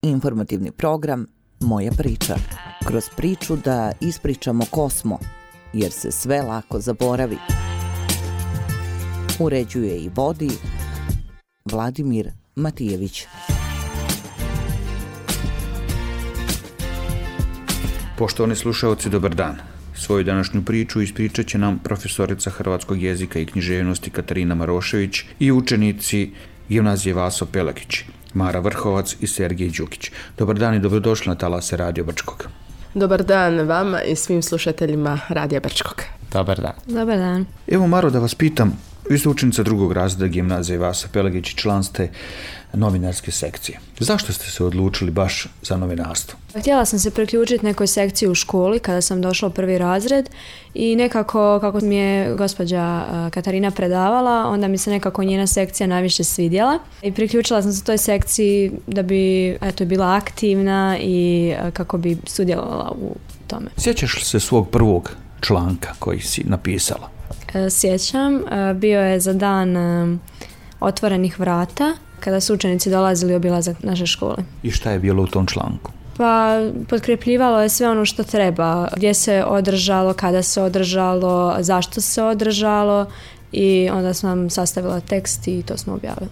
Informativni program Moja priča. Kroz priču da ispričamo ko smo, jer se sve lako zaboravi. Uređuje i vodi Vladimir Matijević. Poštovani slušaoci, dobar dan. Svoju današnju priču ispričat će nam profesorica hrvatskog jezika i književnosti Katarina Marošević i učenici gimnazije Vaso Pelagić, Mara Vrhovac i Sergej Đukić. Dobar dan i dobrodošli na talase Radio Brčkog. Dobar dan vama i svim slušateljima Radija Brčkog. Dobar dan. Dobar dan. Evo, Maro, da vas pitam, vi ste učenica drugog razreda gimnazije Vaso Pelagić i član ste novinarske sekcije. Zašto ste se odlučili baš za novinarstvo? Htjela sam se priključiti nekoj sekciji u školi kada sam došla u prvi razred i nekako kako mi je gospođa Katarina predavala, onda mi se nekako njena sekcija najviše svidjela i priključila sam se toj sekciji da bi bila aktivna i kako bi sudjelovala u tome. Sjećaš li se svog prvog članka koji si napisala? Sjećam, bio je za dan otvorenih vrata kada su učenici dolazili obilazak naše škole. I šta je bilo u tom članku? Pa potkrepljivalo je sve ono što treba, gdje se održalo, kada se održalo, zašto se održalo i onda sam sastavila tekst i to smo objavili.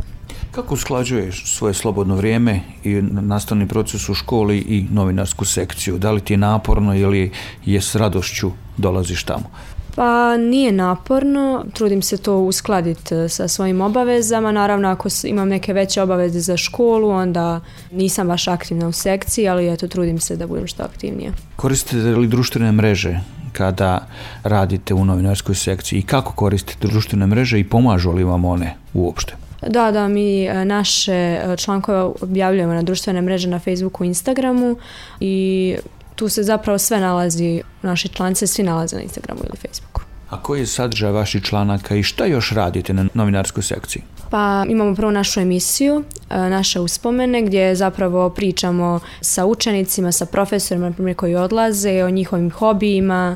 Kako usklađuješ svoje slobodno vrijeme i nastavni proces u školi i novinarsku sekciju? Da li ti je naporno ili je s radošću dolaziš tamo? Pa nije naporno, trudim se to uskladiti sa svojim obavezama. Naravno, ako imam neke veće obaveze za školu, onda nisam baš aktivna u sekciji, ali trudim se da budem što aktivnija. Koristite li društvene mreže kada radite u novinarskoj sekciji i kako koristite društvene mreže i pomažu li vam one uopšte? Da, mi naše člankove objavljujemo na društvene mreže na Facebooku i Instagramu i tu se zapravo sve nalazi, naši članci svi nalaze na Instagramu ili Facebooku. A koji je sadržaj vaših članaka i šta još radite na novinarskoj sekciji? Pa imamo prvo našu emisiju, naše uspomene, gdje zapravo pričamo sa učenicima, sa profesorima naprimjer, koji odlaze, o njihovim hobijima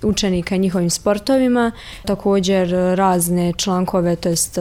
učenika i njihovim sportovima. Također razne člankove, to jest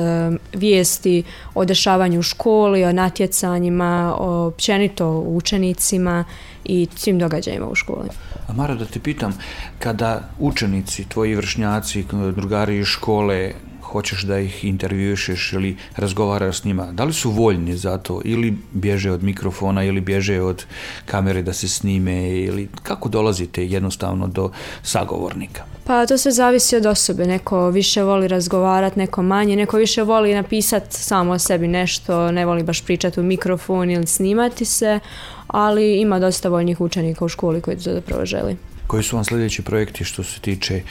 vijesti o dešavanju u školi, o natjecanjima, općenito o učenicima i svim događajima u školi. A Mara, da te pitam, kada učenici, tvoji vršnjaci, drugari iz škole, hoćeš da ih intervjušeš ili razgovaraš s njima, da li su voljni za to ili bježe od mikrofona ili bježe od kamere da se snime ili kako dolazite jednostavno do sagovornika? Pa to sve zavisi od osobe, neko više voli razgovarati, neko manje, neko više voli napisati samo o sebi nešto, ne voli baš pričati u mikrofon ili snimati se, ali ima dosta voljnih učenika u školi koji to zapravo želi. Koji su vam sljedeći projekti što se tiče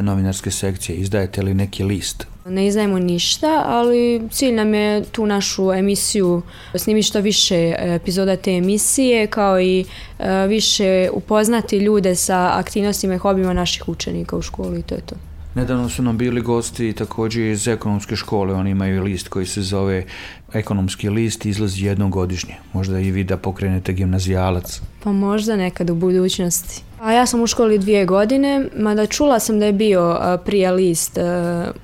novinarske sekcije? Izdajete li neki list? Ne izdajemo ništa, ali cilj nam je tu našu emisiju snimiti što više epizoda te emisije, kao i više upoznati ljude sa aktivnostima i hobijima naših učenika u školi i to je to. Nedavno su nam bili gosti također iz ekonomske škole, oni imaju list koji se zove Ekonomski list, izlazi jednom godišnje. Možda i vi da pokrenete gimnazijalac? Pa možda nekad u budućnosti. A ja sam u školi 2 godine, mada čula sam da je bio prije list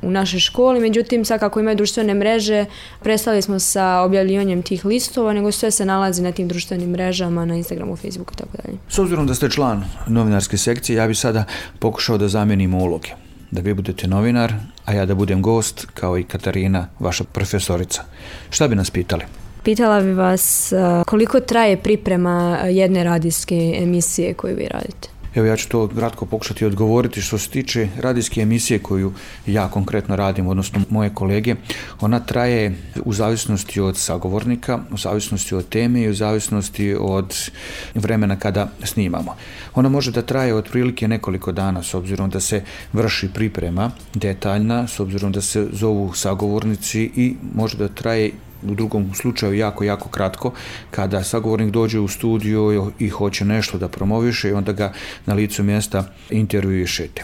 u našoj školi, međutim sad kako imaju društvene mreže, prestali smo sa objavljivanjem tih listova, nego sve se nalazi na tim društvenim mrežama, na Instagramu, Facebooku i tako dalje. S obzirom da ste član novinarske sekcije, ja bi sada pokušao da zamijenimo uloge. Da vi budete novinar, a ja da budem gost, kao i Katarina, vaša profesorica. Šta bi nas pitali? Pitala bi vas koliko traje priprema jedne radijske emisije koju vi radite? Evo, ja ću to kratko pokušati odgovoriti. Što se tiče radijske emisije koju ja konkretno radim, odnosno moje kolege, ona traje u zavisnosti od sagovornika, u zavisnosti od teme i u zavisnosti od vremena kada snimamo. Ona može da traje otprilike nekoliko dana, s obzirom da se vrši priprema detaljna, s obzirom da se zovu sagovornici i može da traje u drugom slučaju jako kratko, kada sagovornik dođe u studiju i hoće nešto da promoviše i onda ga na licu mjesta intervjuišete.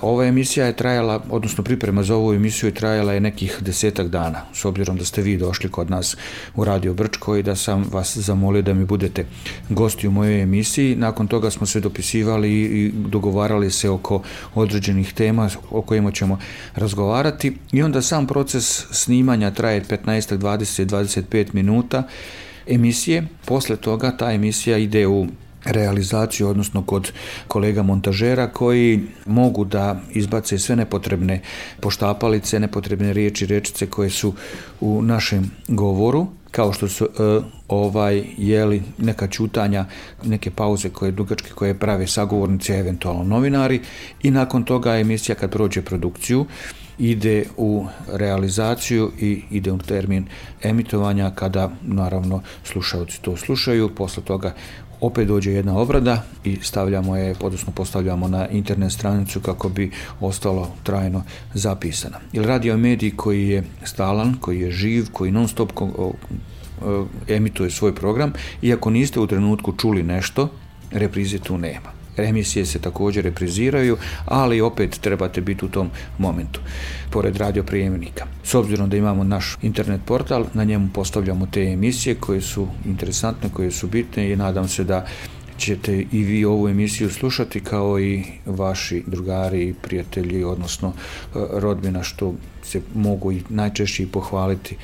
Ova emisija je trajala, odnosno priprema za ovu emisiju je trajala je nekih 10 dana, s obzirom da ste vi došli kod nas u Radio Brčko i da sam vas zamolio da mi budete gosti u mojoj emisiji. Nakon toga smo se dopisivali i dogovarali se oko određenih tema o kojima ćemo razgovarati i onda sam proces snimanja traje 15-20-25 minuta emisije. Posle toga ta emisija ide u realizaciju, odnosno kod kolega montažera koji mogu da izbace sve nepotrebne poštapalice, nepotrebne riječi, rečice koje su u našem govoru, kao što su neka ćutanja, neke pauze koje dugačke koje prave sagovornici, eventualno novinari, i nakon toga emisija kad prođe produkciju ide u realizaciju i ide u termin emitovanja kada naravno slušaoci to slušaju. Posle toga opet dođe jedna obrada i stavljamo je, odnosno postavljamo na internet stranicu kako bi ostalo trajno zapisano. Jer radio medij koji je stalan, koji je živ, koji non stop emituje svoj program, i ako niste u trenutku čuli nešto, reprize tu nema. Emisije se također repriziraju, ali opet trebate biti u tom momentu, pored radioprijemnika. S obzirom da imamo naš internet portal, na njemu postavljamo te emisije koje su interesantne, koje su bitne, i nadam se da ćete i vi ovu emisiju slušati kao i vaši drugari i prijatelji, odnosno rodbina, što se mogu i najčešće pohvaliti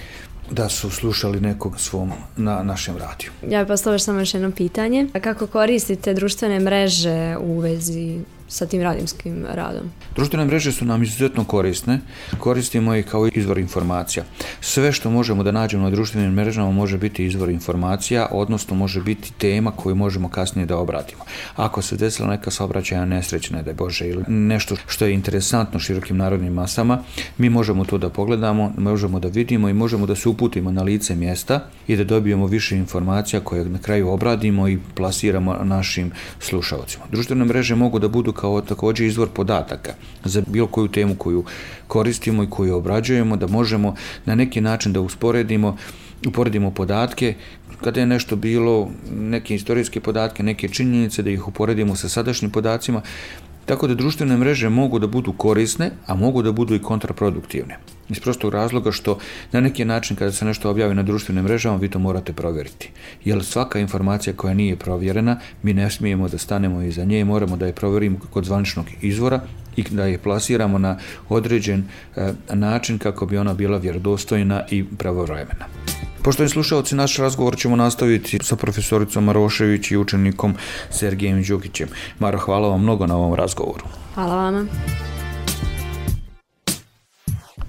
da su slušali nekog svom na našem radiju. Ja bih postavila samo još jedno pitanje. Kako koristite društvene mreže u vezi sa tim radijskim radom? Društvene mreže su nam izuzetno korisne. Koristimo ih kao izvor informacija. Sve što možemo da nađemo na društvenim mrežama može biti izvor informacija, odnosno može biti tema koju možemo kasnije da obradimo. Ako se desila neka saobraćajna nesreća, ne daj Bože, ili nešto što je interesantno širokim narodnim masama, mi možemo to da pogledamo, možemo da vidimo i možemo da se uputimo na lice mjesta i da dobijemo više informacija koje na kraju obradimo i plasiramo našim slušalcima. Društvene mreže mogu da budu kao također izvor podataka za bilo koju temu koju koristimo i koju obrađujemo, da možemo na neki način da uporedimo podatke, kada je nešto bilo, neke istorijske podatke, neke činjenice, da ih uporedimo sa sadašnjim podacima. Tako da društvene mreže mogu da budu korisne, a mogu da budu i kontraproduktivne. Iz prostog razloga što na neki način kada se nešto objavi na društvenim mrežama, vi to morate provjeriti. Jer svaka informacija koja nije provjerena, mi ne smijemo da stanemo iza nje i moramo da je provjerimo kod zvaničnog izvora i da je plasiramo na određen način kako bi ona bila vjerodostojna i pravovremena. Poštovani slušalci, naš razgovor ćemo nastaviti sa profesoricom Marošević i učenikom Sergejem Đukićem. Maro, hvala vam mnogo na ovom razgovoru. Hvala vama.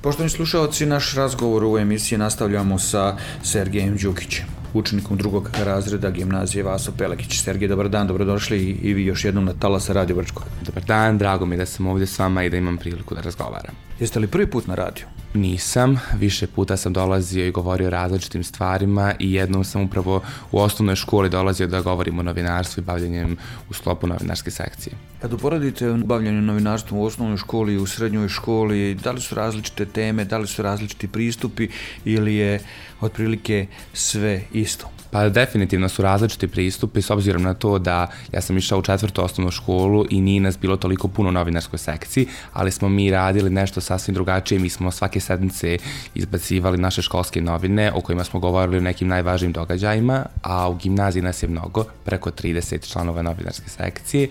Poštovani slušalci, naš razgovor u emisiji nastavljamo sa Sergejem Đukićem, učenikom 2. razreda gimnazije Vaso Pelekić. Sergej, dobar dan, dobrodošli i vi još jednom na Talasa Radio Brčko. Dobar dan, drago mi je da sam ovdje s vama i da imam priliku da razgovaram. Jeste li prvi put na radiju? Nisam, više puta sam dolazio i govorio o različitim stvarima i jednom sam upravo u osnovnoj školi dolazio da govorim o novinarstvu i bavljenjem u sklopu novinarske sekcije. Kad uporedite bavljanje novinarstvom u osnovnoj školi i u srednjoj školi, da li su različite teme, da li su različiti pristupi ili je otprilike sve isto? Pa definitivno su različiti pristupi s obzirom na to da ja sam išao u 4. osnovnu školu i nije nas bilo toliko puno u novinarskoj sekciji, ali smo mi radili nešto sasvim drugačije. Mi smo svake sedmice izbacivali naše školske novine o kojima smo govorili o nekim najvažnijim događajima, a u gimnaziji nas je mnogo, preko 30 članova novinarske sekcije,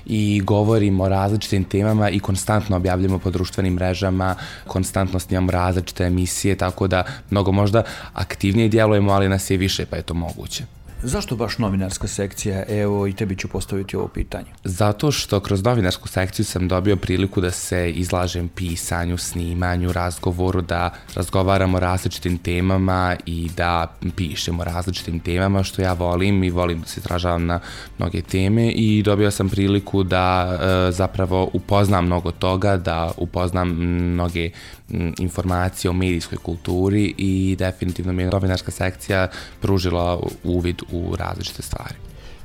i govorimo o različitim temama i konstantno objavljamo po društvenim mrežama, konstantno snimamo različite emisije, tako da mnogo možda aktivnije djelujemo, ali nas je više, pa je to moguće. Zašto baš novinarska sekcija? Evo, i tebi ću postaviti ovo pitanje. Zato što kroz novinarsku sekciju sam dobio priliku da se izlažem pisanju, snimanju, razgovoru, da razgovaramo o različitim temama i da pišemo o različitim temama, što ja volim i volim da se izražavam na mnoge teme, i dobio sam priliku da zapravo upoznam mnogo toga, da upoznam mnoge informacije o medijskoj kulturi, i definitivno mi je novinarska sekcija pružila uvid u različite stvari.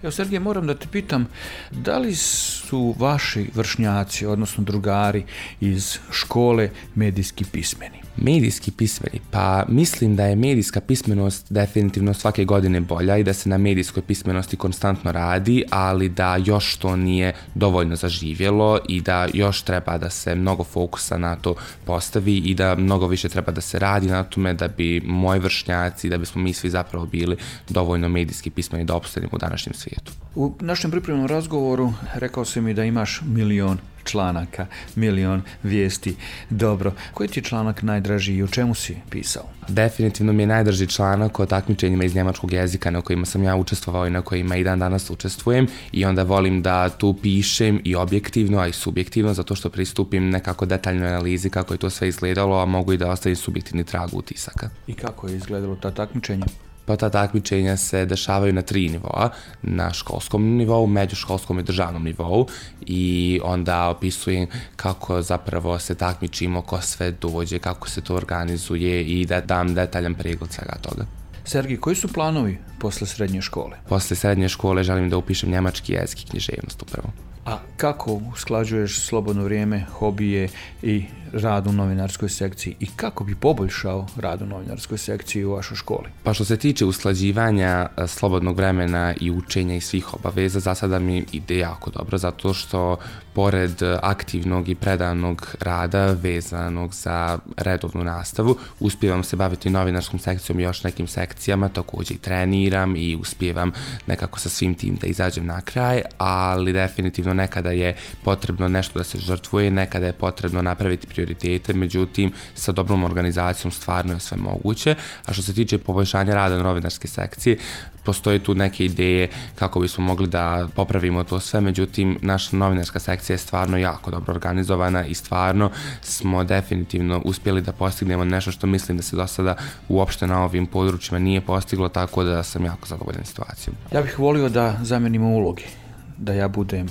Evo, Sergej, moram da te pitam, da li su vaši vršnjaci, odnosno drugari iz škole medijski pismeni? Medijski pismeni? Pa mislim da je medijska pismenost definitivno svake godine bolja i da se na medijskoj pismenosti konstantno radi, ali da još to nije dovoljno zaživjelo i da još treba da se mnogo fokusa na to postavi i da mnogo više treba da se radi na tome da bi moji vršnjaci, da bismo mi svi zapravo bili dovoljno medijski pismeni da opstanemo u današnjem svijetu. U našem pripremnom razgovoru rekao si mi da imaš 1.000.000 članaka, milion vijesti. Dobro, koji ti je članak najdraži i o čemu si pisao? Definitivno mi je najdraži članak o takmičenjima iz njemačkog jezika na kojima sam ja učestvovao i na kojima i dan danas učestvujem, i onda volim da tu pišem i objektivno, a i subjektivno, zato što pristupim nekako detaljnoj analizi kako je to sve izgledalo, a mogu i da ostavim subjektivni trag utisaka. I kako je izgledalo ta takmičenja? Pa ta takmičenja se dešavaju na 3 nivoa, na školskom nivou, međuškolskom i državnom nivou, i onda opisujem kako zapravo se takmičimo, ko sve dođe, kako se to organizuje i da dam detaljan pregled svega toga. Sergij, koji su planovi posle srednje škole? Posle srednje škole želim da upišem njemački jezik i književnost upravo. A kako usklađuješ slobodno vrijeme, hobije i rad u novinarskoj sekciji i kako bi poboljšao rad u novinarskoj sekciji u vašoj školi? Pa što se tiče usklađivanja slobodnog vremena i učenja i svih obaveza, za sada mi ide jako dobro, zato što pored aktivnog i predanog rada vezanog za redovnu nastavu, uspijevam se baviti novinarskom sekcijom i još nekim sekcijama, također i treniram i uspijevam nekako sa svim tim da izađem na kraj, ali definitivno nekada je potrebno nešto da se žrtvuje, nekada je potrebno napraviti prioritete, međutim sa dobrom organizacijom stvarno je sve moguće. A što se tiče poboljšanja rada novinarske sekcije, postoje tu neke ideje kako bismo mogli da popravimo to sve, međutim naša novinarska sekcija je stvarno jako dobro organizovana i stvarno smo definitivno uspjeli da postignemo nešto što mislim da se do sada uopšte na ovim područjima nije postiglo, tako da sam jako zadovoljan situacijom. Ja bih volio da zamenimo uloge, da ja budem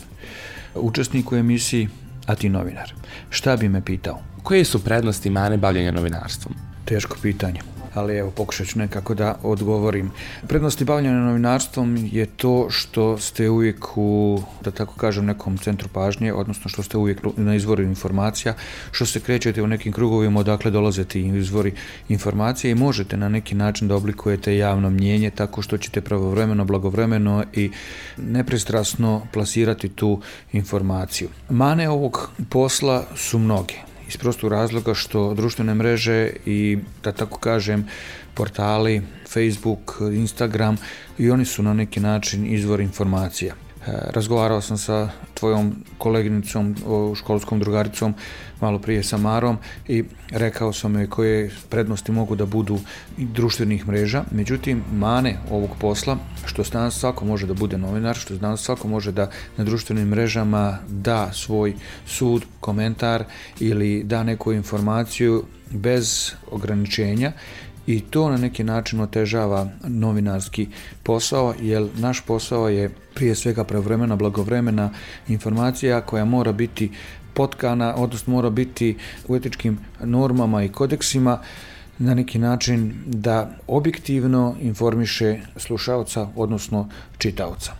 učesnik u emisiji, a ti novinar. Šta bi me pitao? Koje su prednosti i mane bavljenja novinarstvom? Teško pitanje, ali evo pokušat ću nekako da odgovorim. Prednosti bavljenja novinarstvom je to što ste uvijek u, da tako kažem, nekom centru pažnje, odnosno što ste uvijek na izvoru informacija, što se krećete u nekim krugovima odakle dolaze ti izvori informacije i možete na neki način da oblikujete javno mnjenje tako što ćete pravovremeno, blagovremeno i nepristrasno plasirati tu informaciju. Mane ovog posla su mnoge. Iz prostog razloga što društvene mreže i, da tako kažem, portali, Facebook, Instagram, i oni su na neki način izvor informacija. Razgovarao sam sa tvojom koleginicom, školskom drugaricom, malo prije sa Marom, i rekao sam joj koje prednosti mogu da budu društvenih mreža. Međutim, mane ovog posla, što danas svako može da bude novinar, što danas svako može da na društvenim mrežama da svoj sud, komentar ili da neku informaciju bez ograničenja, i to na neki način otežava novinarski posao, jer naš posao je prije svega pravovremena, blagovremena informacija koja mora biti potkana, odnosno mora biti u etičkim normama i kodeksima na neki način da objektivno informiše slušaoca, odnosno čitaoca.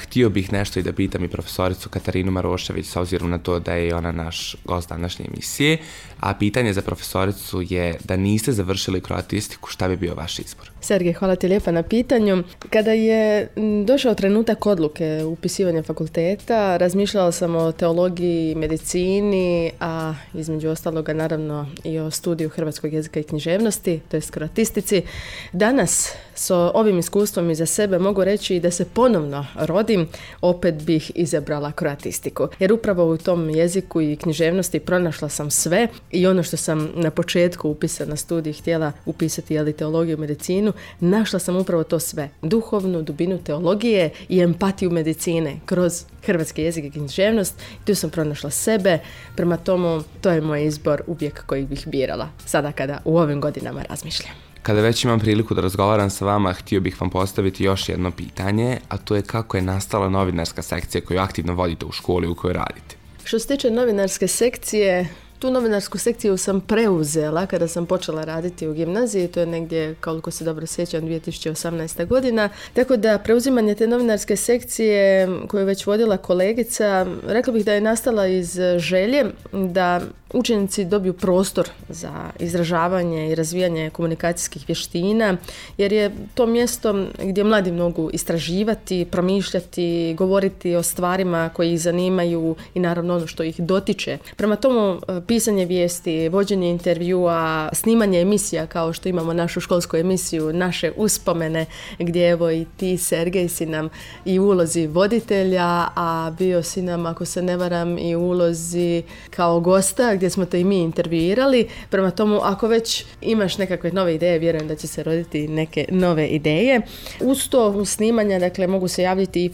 Htio bih nešto i da pitam i profesoricu Katarinu Marošević, s obzirom na to da je ona naš gost današnje emisije, a pitanje za profesoricu je da niste završili kroatistiku, šta bi bio vaš izbor? Sergej, hvala ti lijepa na pitanju. Kada je došao trenutak odluke upisivanja fakulteta, razmišljala sam o teologiji, medicini, a između ostaloga naravno i o studiju hrvatskog jezika i književnosti, to je kroatistici. Danas s ovim iskustvom iza sebe mogu reći da se ponovno rodim, opet bih izabrala kroatistiku. Jer upravo u tom jeziku i književnosti pronašla sam sve, i ono što sam na početku upisa na studij htjela upisati, teologiju i medicinu, našla sam upravo to sve. Duhovnu dubinu teologije i empatiju medicine kroz hrvatski jezik i književnost. Tu sam pronašla sebe, prema tomu to je moj izbor uvijek koji bih birala sada kada u ovim godinama razmišljam. Kada već imam priliku da razgovaram sa vama, htio bih vam postaviti još jedno pitanje, a to je kako je nastala novinarska sekcija koju aktivno vodite u školi u kojoj radite. Što se tiče novinarske sekcije, tu novinarsku sekciju sam preuzela kada sam počela raditi u gimnaziji, to je negdje, koliko se dobro sjećam, 2018. godina. Tako da preuzimanje te novinarske sekcije koju je već vodila kolegica, rekla bih da je nastala iz želje da učenici dobiju prostor za izražavanje i razvijanje komunikacijskih vještina, jer je to mjesto gdje mladi mogu istraživati, promišljati, govoriti o stvarima koji ih zanimaju i naravno ono što ih dotiče. Prema tomu pisanje vijesti, vođenje intervjua, snimanje emisija kao što imamo našu školsku emisiju, naše uspomene, gdje evo i ti, Sergej, si nam i u ulozi voditelja, a bio si nam, ako se ne varam, i u ulozi kao gosta gdje smo te i mi intervjuirali. Prema tomu, ako već imaš nekakve nove ideje, vjerujem da će se roditi neke nove ideje. Uz to, uz snimanja, dakle, mogu se javiti i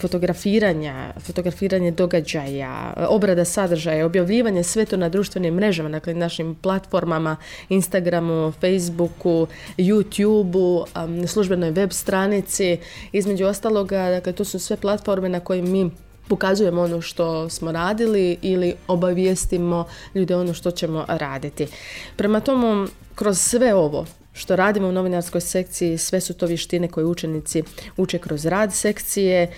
fotografiranje događaja, obrada sadržaja, objavljivanje, sve to na društvenim mrežama, dakle, našim platformama, Instagramu, Facebooku, YouTubeu, službenoj web stranici. Između ostaloga, dakle, to su sve platforme na kojim mi pokazujemo ono što smo radili ili obavijestimo ljude ono što ćemo raditi. Prema tomu, kroz sve ovo što radimo u novinarskoj sekciji, sve su to vještine koje učenici uče kroz rad sekcije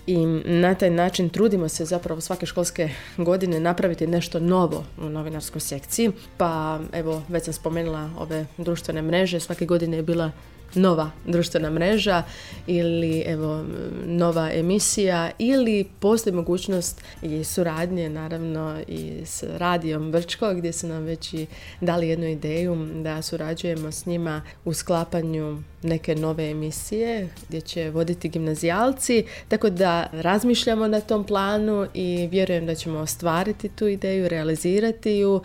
i na taj način trudimo se zapravo svake školske godine napraviti nešto novo u novinarskoj sekciji. Pa evo, već sam spomenula ove društvene mreže, svake godine je bila nova društvena mreža ili evo nova emisija ili postoji mogućnost i suradnje naravno i s Radijom Brčko gdje su nam već i dali jednu ideju da surađujemo s njima u sklapanju neke nove emisije gdje će voditi gimnazijalci, tako da razmišljamo na tom planu i vjerujem da ćemo ostvariti tu ideju, realizirati ju.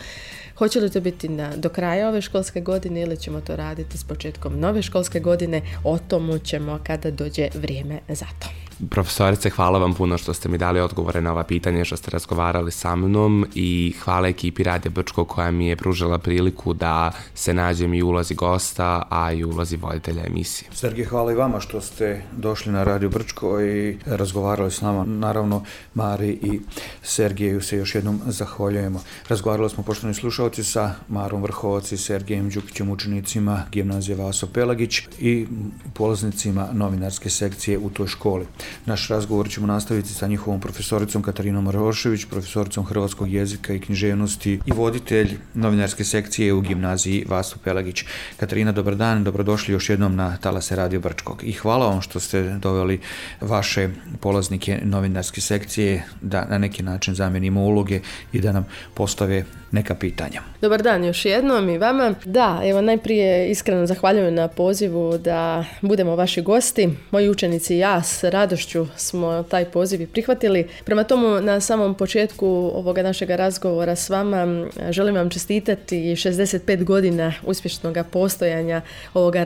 Hoće li to biti do kraja ove školske godine ili ćemo to raditi s početkom nove školske godine, o tomu ćemo kada dođe vrijeme za to. Profesorice, hvala vam puno što ste mi dali odgovore na ova pitanja, što ste razgovarali sa mnom i hvala ekipi Radija Brčko koja mi je pružila priliku da se nađem i u ulozi gosta, a i u ulozi voditelja emisije. Sergej, hvala i vama što ste došli na Radio Brčko i razgovarali s nama. Naravno, Mari i Sergeju se još jednom zahvaljujemo. Razgovarali smo, poštovani slušalci, sa Marom Vrhovac i Sergejem Đukićem, učenicima gimnazije Vaso Pelagić i polaznicima novinarske sekcije u toj školi. Naš razgovor ćemo nastaviti sa njihovom profesoricom Katarinom Marošević, profesoricom hrvatskog jezika i književnosti i voditelj novinarske sekcije u gimnaziji Vaso Pelagić. Katarina, dobar dan, dobrodošli još jednom na talase Radio Brčkog i hvala vam što ste doveli vaše polaznike novinarske sekcije da na neki način zamijenimo uloge i da nam postave neka pitanja. Dobar dan još jednom i vama. Da, evo najprije iskreno zahvaljujem na pozivu da budemo vaši gosti. Moji učenici i ja s radošću smo taj poziv i prihvatili. Prema tomu, na samom početku ovoga našeg razgovora s vama želim vam čestitati 65 godina uspješnog postojanja ovoga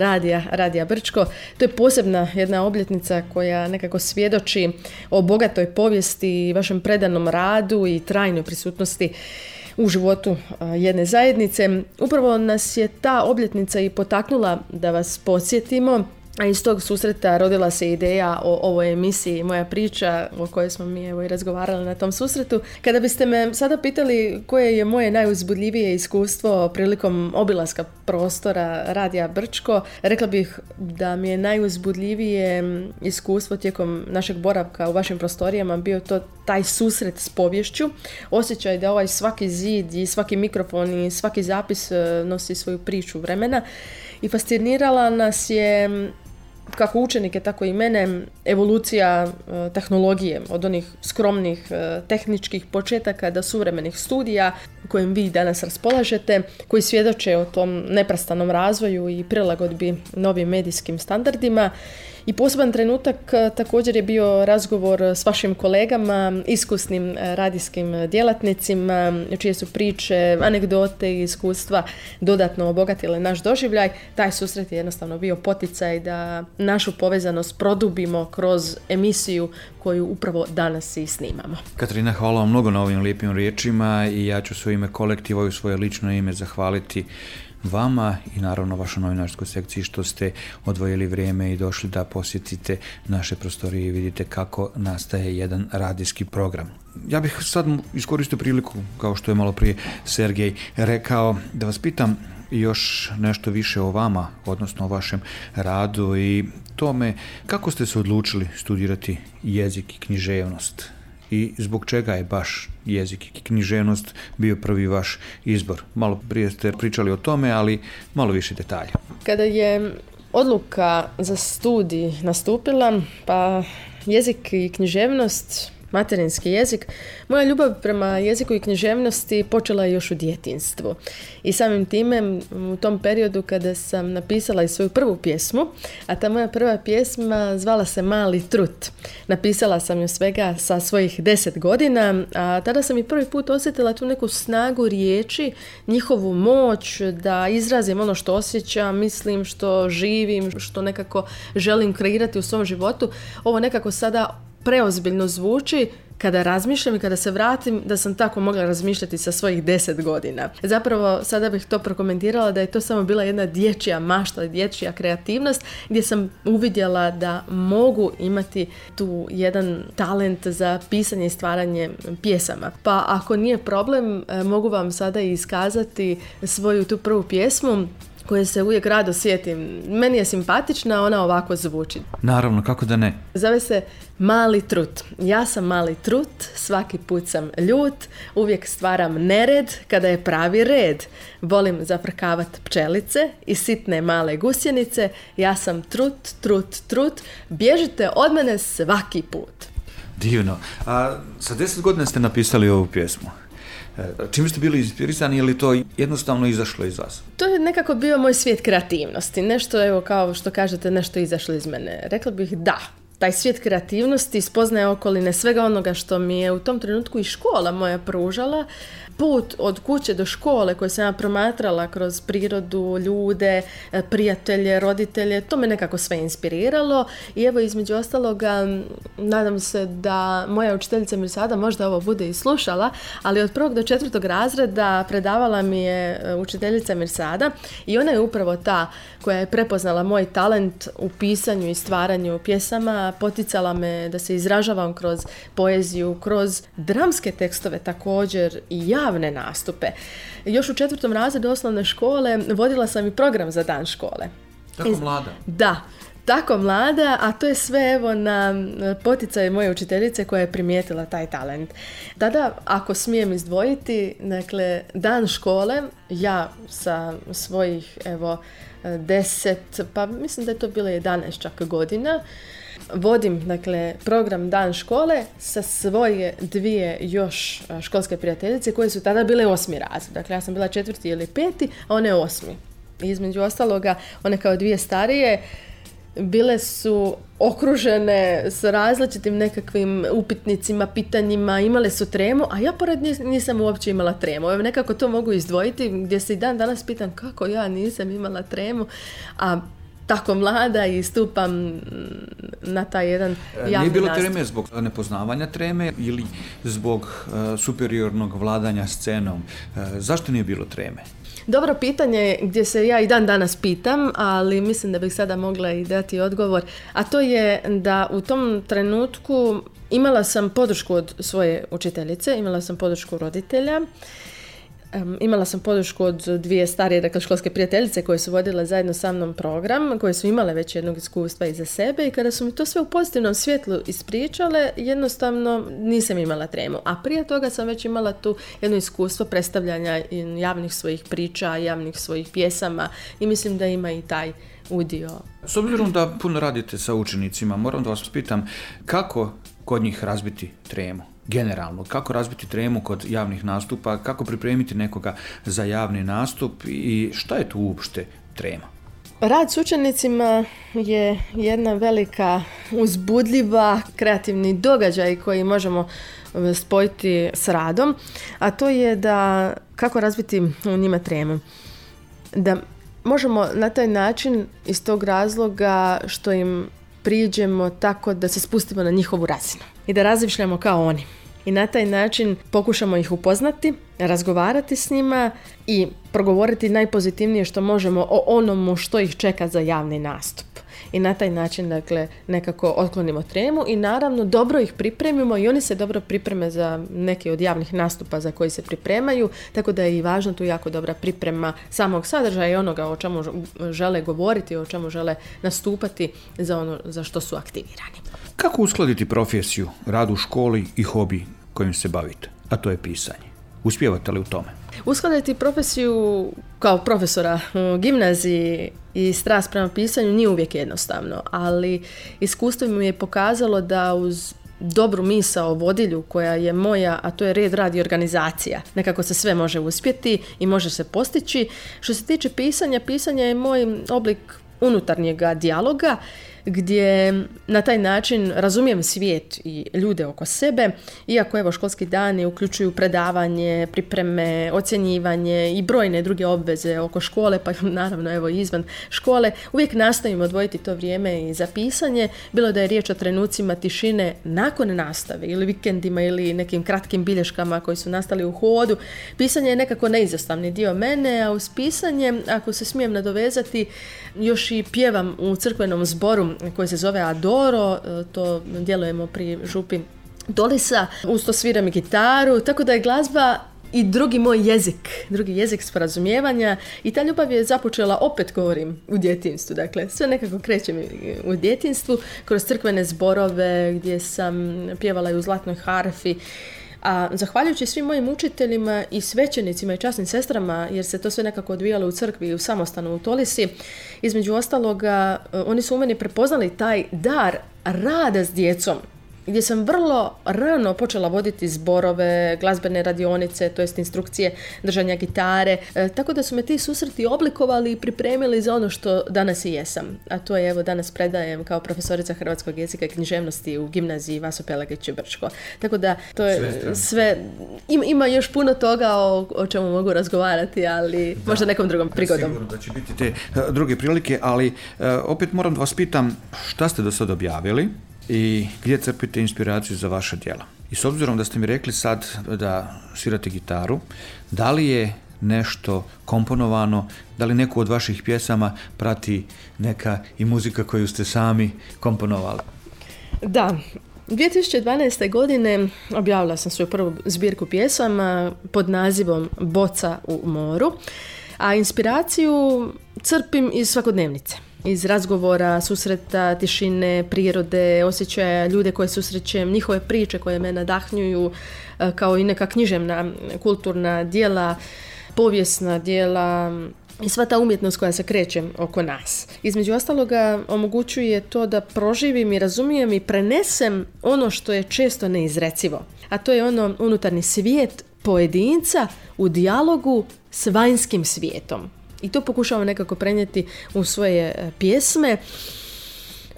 Radija Brčko. To je posebna jedna obljetnica koja nekako svjedoči o bogatoj povijesti i vašem predanom radu i trajnoj prisutnosti u životu jedne zajednice. Upravo nas je ta obljetnica i potaknula da vas podsjetimo, a iz tog susreta rodila se ideja o ovoj emisiji Moja priča, o kojoj smo mi evo i razgovarali na tom susretu. Kada biste me sada pitali koje je moje najuzbudljivije iskustvo prilikom obilaska prostora Radija Brčko, rekla bih da mi je najuzbudljivije iskustvo tijekom našeg boravka u vašim prostorijama bio to taj susret s poviješću, osjećaj da ovaj svaki zid i svaki mikrofon i svaki zapis nosi svoju priču vremena i fascinirala nas je kako učenike, tako i mene, evolucija tehnologije, od onih skromnih tehničkih početaka do suvremenih studija kojim vi danas raspolažete, koji svjedoče o tom neprestanom razvoju i prilagodbi novim medijskim standardima. I poseban trenutak također je bio razgovor s vašim kolegama, iskusnim radijskim djelatnicima, čije su priče, anegdote i iskustva dodatno obogatile naš doživljaj. Taj susret je jednostavno bio poticaj da našu povezanost produbimo kroz emisiju koju upravo danas i snimamo. Katarina, hvala vam mnogo na ovim lijepim riječima i ja ću svoje ime kolektiva i u svoje lično ime zahvaliti vama i naravno vašoj novinarskoj sekciji što ste odvojili vrijeme i došli da posjetite naše prostorije i vidite kako nastaje jedan radijski program. Ja bih sad iskoristio priliku, kao što je malo prije Sergej rekao, da vas pitam još nešto više o vama, odnosno o vašem radu i tome kako ste se odlučili studirati jezik i književnost i zbog čega je baš jezik i književnost bio prvi vaš izbor? Malo prije ste pričali o tome, ali malo više detalja. Kada je odluka za studij nastupila, pa jezik i književnost, materinski jezik, moja ljubav prema jeziku i književnosti počela je još u djetinjstvu. I samim time, u tom periodu kada sam napisala i svoju prvu pjesmu, a ta moja prva pjesma zvala se Mali trut. Napisala sam ju svega sa svojih 10 godina, a tada sam i prvi put osjetila tu neku snagu riječi, njihovu moć da izrazim ono što osjećam, mislim, što živim, što nekako želim kreirati u svom životu. Ovo nekako sada preozbiljno zvuči kada razmišljam i kada se vratim da sam tako mogla razmišljati sa svojih 10 godina. Zapravo sada bih to prokomentirala da je to samo bila jedna dječja mašta, dječja kreativnost gdje sam uvidjela da mogu imati tu jedan talent za pisanje i stvaranje pjesama. Pa ako nije problem, mogu vam sada iskazati svoju tu prvu pjesmu koje se uvijek rado sjetim. Meni je simpatična, ona ovako zvuči. Naravno, kako da ne. Zove se Mali trut. Ja sam mali trut, svaki put sam ljut, uvijek stvaram nered kada je pravi red. Volim zafrkavat pčelice i sitne male gusjenice. Ja sam trut, trut, trut, bježite od mene svaki put. Divno. A sa 10 godina ste napisali ovu pjesmu. Čim ste bili inspirisani ili to jednostavno izašlo iz vas? To je nekako bio moj svijet kreativnosti. Nešto, evo, kao što kažete, nešto izašlo iz mene. Rekla bih da. Taj svijet kreativnosti, spoznaje okoline, svega onoga što mi je u tom trenutku i škola moja pružala, put od kuće do škole koje sam ja promatrala kroz prirodu, ljude, prijatelje, roditelje, to me nekako sve inspiriralo i evo između ostaloga nadam se da moja učiteljica Mirsada možda ovo bude i slušala, ali od 1. do 4. razreda predavala mi je učiteljica Mirsada i ona je upravo ta koja je prepoznala moj talent u pisanju i stvaranju pjesama, poticala me da se izražavam kroz poeziju, kroz dramske tekstove također i javne nastupe. Još u 4. razredu osnovne škole vodila sam i program za dan škole. Tako mlada? Da, tako mlada, a to je sve evo na poticaj moje učiteljice koja je primijetila taj talent. Tada, ako smijem izdvojiti, dakle, dan škole, ja sa svojih, evo, 10, pa mislim da je to bilo 11 čak godina, vodim, dakle, program Dan škole sa svoje 2 još školske prijateljice koje su tada bile 8. razred. Dakle, ja sam bila 4. ili 5. a one 8. Između ostaloga, one kao 2 starije bile su okružene s različitim nekakvim upitnicima, pitanjima, imale su tremu, a ja pored nisam uopće imala tremu. Evo, nekako to mogu izdvojiti, gdje se i dan danas pitam kako ja nisam imala tremu, a tako mlada i stupam na taj jedan javni nastup. Nije bilo treme zbog nepoznavanja treme ili zbog superiornog vladanja scenom? Zašto nije bilo treme? Dobro pitanje gdje se ja i dan danas pitam, ali mislim da bih sada mogla i dati odgovor. A to je da u tom trenutku imala sam podršku od svoje učiteljice, imala sam podršku roditelja, imala sam podršku od 2 starije, dakle, školske prijateljice koje su vodile zajedno sa mnom program, koje su imale već jednog iskustva iza sebe i kada su mi to sve u pozitivnom svjetlu ispričale, jednostavno nisam imala tremu. A prije toga sam već imala tu jedno iskustvo predstavljanja javnih svojih priča, javnih svojih pjesama i mislim da ima i taj udio. S obzirom da puno radite sa učenicima, moram da vas pitam kako kod njih razbiti tremu? Generalno, kako razbiti tremu kod javnih nastupa, kako pripremiti nekoga za javni nastup i šta je tu uopšte trema? Rad s učenicima je jedna velika, uzbudljiva, kreativni događaj koji možemo spojiti s radom, a to je da kako razbiti u njima tremu. Da možemo na taj način iz tog razloga što im priđemo tako da se spustimo na njihovu razinu i da razmišljamo kao oni. I na taj način pokušamo ih upoznati, razgovarati s njima i progovoriti najpozitivnije što možemo o onomu što ih čeka za javni nastup. I na taj način, dakle, nekako otklonimo tremu i naravno dobro ih pripremimo i oni se dobro pripreme za neke od javnih nastupa za koji se pripremaju, tako da je i važno tu jako dobra priprema samog sadržaja i onoga o čemu žele govoriti, o čemu žele nastupati za ono za što su aktivirani. Kako uskladiti profesiju, rad u školi i hobi kojim se bavite, a to je pisanje? Uspijevate li u tome? Uskladiti profesiju kao profesora u gimnaziji i strast prema pisanju nije uvijek jednostavno, ali iskustvo mi je pokazalo da uz dobru misao vodilju koja je moja, a to je red, rad i organizacija. Nekako se sve može uspjeti i može se postići. Što se tiče pisanja, pisanje je moj oblik unutarnjega dijaloga gdje na taj način razumijem svijet i ljude oko sebe, iako evo školski dani uključuju predavanje, pripreme, ocjenjivanje i brojne druge obveze oko škole, pa naravno evo izvan škole, uvijek nastojim odvojiti to vrijeme i za pisanje, bilo da je riječ o trenucima tišine nakon nastave ili vikendima ili nekim kratkim bilješkama koji su nastali u hodu. Pisanje je nekako neizostavni dio mene, a uz pisanje, ako se smijem nadovezati, još i pjevam u crkvenom zboru koji se zove Adoro, to djelujemo pri župi Dolisa, uz to sviram i gitaru, tako da je glazba i drugi moj jezik sporazumijevanja i ta ljubav je započela, opet govorim, u djetinjstvu. Dakle, sve nekako kreće mi u djetinjstvu, kroz crkvene zborove gdje sam pjevala i u zlatnoj harfi. A zahvaljujući svim mojim učiteljima i svećenicima i časnim sestrama, jer se to sve nekako odvijalo u crkvi i u samostanu u Tolisi, između ostaloga, oni su u meni prepoznali taj dar rada s djecom, gdje sam vrlo rano počela voditi zborove, glazbene radionice, to jest instrukcije držanja gitare, tako da su me ti susreti oblikovali i pripremili za ono što danas i jesam. A to je, evo, danas predajem kao profesorica hrvatskog jezika i književnosti u gimnaziji Vaso Pelagić u Brčko. Tako da to je sve, ima još puno toga o čemu mogu razgovarati, ali da, možda nekom drugom prigodom. Sigurno da će biti te druge prilike, ali opet moram da vas pitam šta ste do sada objavili i gdje crpite inspiraciju za vaša djela. I s obzirom da ste mi rekli sad da svirate gitaru, da li je nešto komponovano, da li neku od vaših pjesama prati neka i muzika koju ste sami komponovali? Da, 2012. godine objavila sam svoju prvu zbirku pjesama pod nazivom Boca u moru, a inspiraciju crpim iz svakodnevnice. Iz razgovora, susreta, tišine, prirode, osjećaja ljude koje susrećem, njihove priče koje me nadahnjuju, kao i neka književna, kulturna djela, povijesna djela i sva ta umjetnost koja se kreće oko nas. Između ostaloga omogućuje to da proživim i razumijem i prenesem ono što je često neizrecivo. A to je ono unutarnji svijet pojedinca u dijalogu s vanjskim svijetom. I to pokušavam nekako prenijeti u svoje pjesme.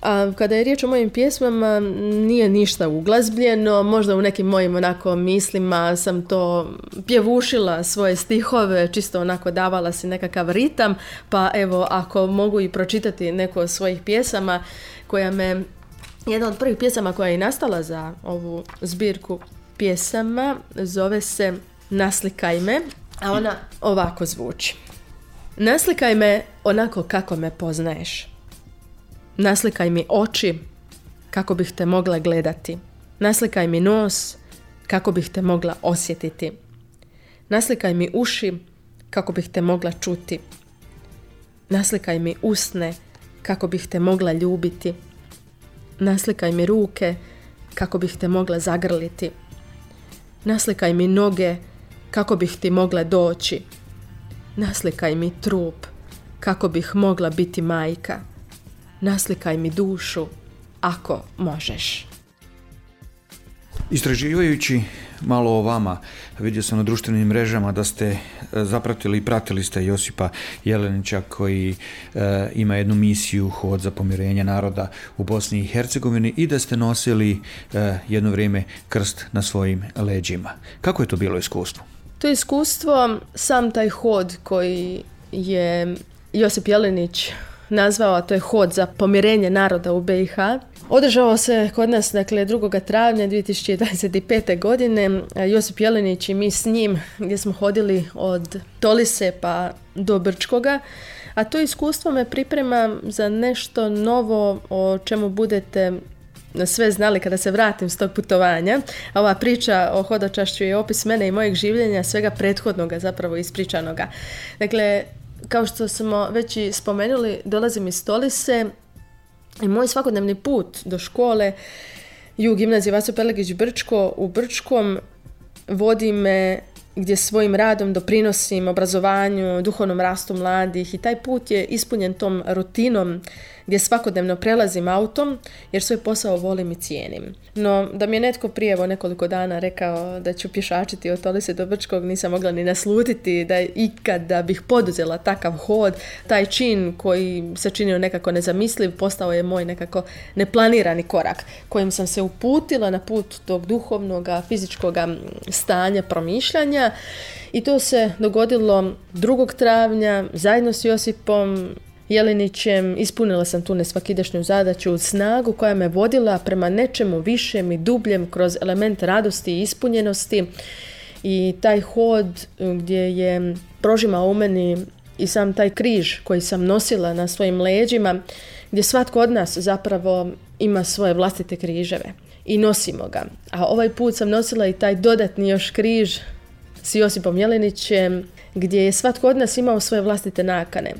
A kada je riječ o mojim pjesmama, nije ništa uglazbljeno. Možda u nekim mojim onako mislima sam to pjevušila svoje stihove, čisto onako davala si nekakav ritam. Pa evo, ako mogu i pročitati neko od svojih pjesama, jedna od prvih pjesama koja je nastala za ovu zbirku pjesama, zove se Naslikaj me, a ona ovako zvuči. Naslikaj me onako kako me poznaješ. Naslikaj mi oči kako bih te mogla gledati. Naslikaj mi nos kako bih te mogla osjetiti. Naslikaj mi uši kako bih te mogla čuti. Naslikaj mi usne kako bih te mogla ljubiti. Naslikaj mi ruke kako bih te mogla zagrliti. Naslikaj mi noge kako bih ti mogla doći. Naslikaj mi trup kako bih mogla biti majka. Naslikaj mi dušu ako možeš. Istraživajući malo o vama, vidio sam na društvenim mrežama da ste zapratili i pratili ste Josipa Jelenića koji ima jednu misiju Hod za pomirenje naroda u Bosni i Hercegovini i da ste nosili jedno vrijeme krst na svojim leđima. Kako je to bilo iskustvo? To iskustvo, sam taj hod koji je Josip Jelenić nazvao, a to je Hod za pomirenje naroda u BiH, održao se kod nas, dakle, 2. travnja 2025. godine. Josip Jelenić i mi s njim, gdje smo hodili od Tolise pa do Brčkoga, a to iskustvo me priprema za nešto novo o čemu budete sve znali kada se vratim s tog putovanja. Ova priča o hodočašću je opis mene i mojeg življenja, svega prethodnoga zapravo ispričanoga. Dakle, kao što smo već i spomenuli, dolazim iz Tolise I moj svakodnevni put do škole u gimnaziji Vaso Pelegić Brčko u Brčkom vodi me gdje svojim radom doprinosim obrazovanju, duhovnom rastu mladih i taj put je ispunjen tom rutinom gdje svakodnevno prelazim autom jer svoj posao volim i cijenim. No, da mi je netko prije nekoliko dana rekao da ću pješačiti od Tolise do Brčkog, nisam mogla ni naslutiti da ikada bih poduzela takav hod. Taj čin koji se činio nekako nezamisliv postao je moj nekako neplanirani korak kojim sam se uputila na put tog duhovnog, fizičkog stanja promišljanja i to se dogodilo 2. travnja zajedno s Josipom Jelinićem. Ispunila sam tu nesvakidašnju zadaću, snagu koja me vodila prema nečemu višem i dubljem kroz element radosti i ispunjenosti i taj hod gdje je prožimao u meni i sam taj križ koji sam nosila na svojim leđima, gdje svatko od nas zapravo ima svoje vlastite križeve i nosimo ga. A ovaj put sam nosila i taj dodatni još križ s Josipom Jelinićem gdje je svatko od nas imao svoje vlastite nakane,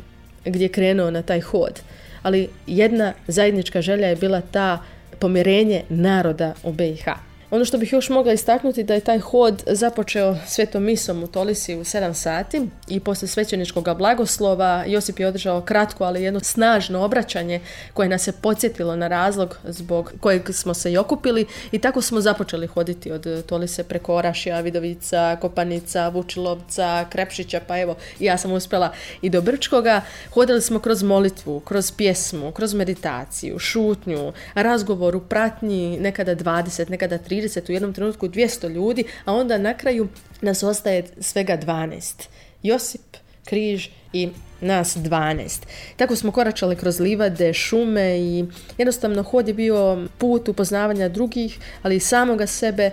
gdje je krenuo na taj hod. Ali jedna zajednička želja je bila ta pomirenje naroda u BiH. Ono što bih još mogla istaknuti da je taj hod započeo svetom misom u Tolisi u 7 sati i poslije svećeničkog blagoslova Josip je održao kratko, ali jedno snažno obraćanje koje nas je podsjetilo na razlog zbog kojeg smo se i okupili i tako smo započeli hoditi od Tolise preko Orašja, Vidovica, Kopanica, Vučilovca, Krepšića, pa evo ja sam uspjela i do Brčkoga. Hodili smo kroz molitvu, kroz pjesmu, kroz meditaciju, šutnju, razgovor u pratnji, nekada 20, nekada 30, u jednom trenutku 200 ljudi, a onda na kraju nas ostaje svega 12. Josip, križ i nas 12. Tako smo koračali kroz livade, šume i jednostavno hod je bio put upoznavanja drugih, ali i samoga sebe,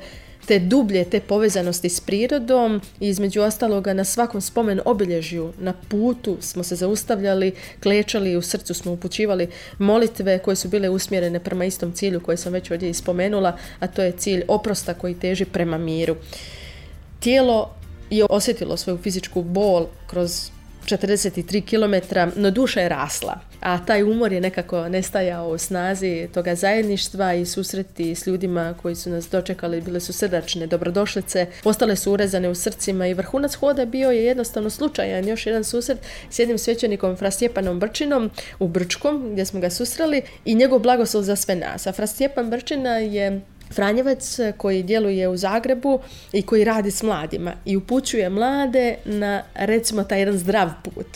te dublje, te povezanosti s prirodom i između ostaloga na svakom spomen obilježju na putu smo se zaustavljali, klečali i u srcu smo upućivali molitve koje su bile usmjerene prema istom cilju koji sam već ovdje ispomenula, a to je cilj oprosta koji teži prema miru. Tijelo je osjetilo svoju fizičku bol kroz 43 km, no duša je rasla, a taj umor je nekako nestajao u snazi toga zajedništva i susreti s ljudima koji su nas dočekali, bile su srdačne dobrodošlice, ostale su urezane u srcima i vrhunac hoda bio je jednostavno slučajan, još jedan susret s jednim svećenikom Fra Stjepanom Brčinom u Brčkom gdje smo ga susreli i njegov blagoslov za sve nas. A Fra Stjepan Brčina je Franjevac koji djeluje u Zagrebu i koji radi s mladima i upućuje mlade na, recimo, taj jedan zdrav put.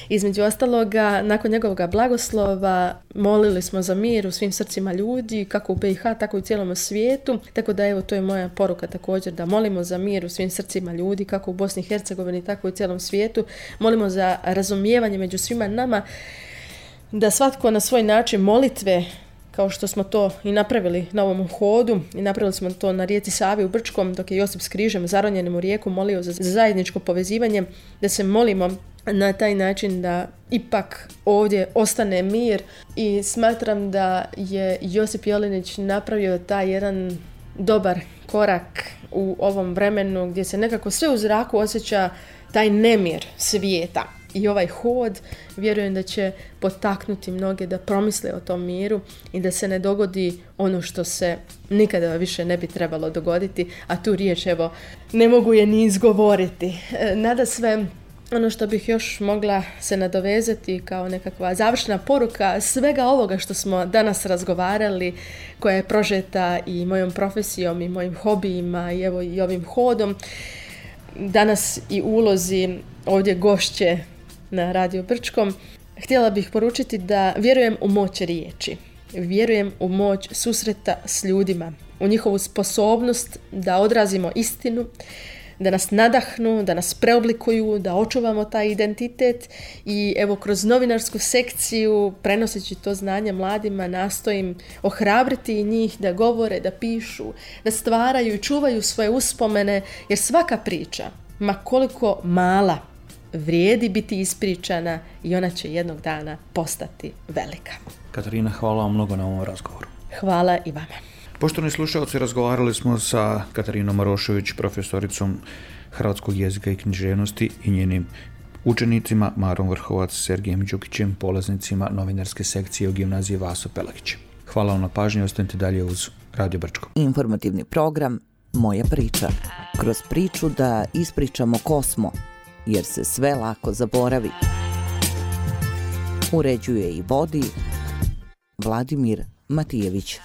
Između ostaloga, nakon njegovog blagoslova molili smo za mir u svim srcima ljudi, kako u BiH, tako i u cijelom svijetu. Tako da evo, to je moja poruka također, da molimo za mir u svim srcima ljudi, kako u Bosni i Hercegovini, tako i u cijelom svijetu. Molimo za razumijevanje među svima nama, da svatko na svoj način molitve, kao što smo to i napravili na ovom hodu, i napravili smo to na rijeci Savi u Brčkom, dok je Josip s križem zaronjenim u rijeku molio za zajedničko povezivanje, da se molimo na taj način da ipak ovdje ostane mir. I smatram da je Josip Jelinić napravio taj jedan dobar korak u ovom vremenu gdje se nekako sve u zraku osjeća taj nemir svijeta. I ovaj hod vjerujem da će potaknuti mnoge da promisle o tom miru i da se ne dogodi ono što se nikada više ne bi trebalo dogoditi, a tu riječ evo ne mogu je ni izgovoriti. Nadasve ono što bih još mogla se nadovezati kao nekakva završna poruka svega ovoga što smo danas razgovarali, koja je prožeta i mojom profesijom i mojim hobijima i evo i ovim hodom, danas i ulozi ovdje gošće na Radio Brčkom, htjela bih poručiti da vjerujem u moć riječi, vjerujem u moć susreta s ljudima, u njihovu sposobnost da odrazimo istinu, da nas nadahnu, da nas preoblikuju, da očuvamo taj identitet i evo kroz novinarsku sekciju, prenoseći to znanje mladima, nastojim ohrabriti njih da govore, da pišu, da stvaraju i čuvaju svoje uspomene, jer svaka priča, ma koliko mala, vrijedi biti ispričana i ona će jednog dana postati velika. Katarina, hvala vam mnogo na ovom razgovoru. Hvala i vama. Poštovani slušalci, razgovarali smo sa Katarinom Marošević, profesoricom hrvatskog jezika i književnosti i njenim učenicima Marom Vrhovac, Sergejem Đukićem, polaznicima novinarske sekcije u gimnaziji Vaso Pelagić. Hvala vam na pažnji, ostanite dalje uz Radio Brčko. Informativni program Moja priča. Kroz priču da ispričamo ko smo, jer se sve lako zaboravi. Uređuje i vodi Vladimir Matijević.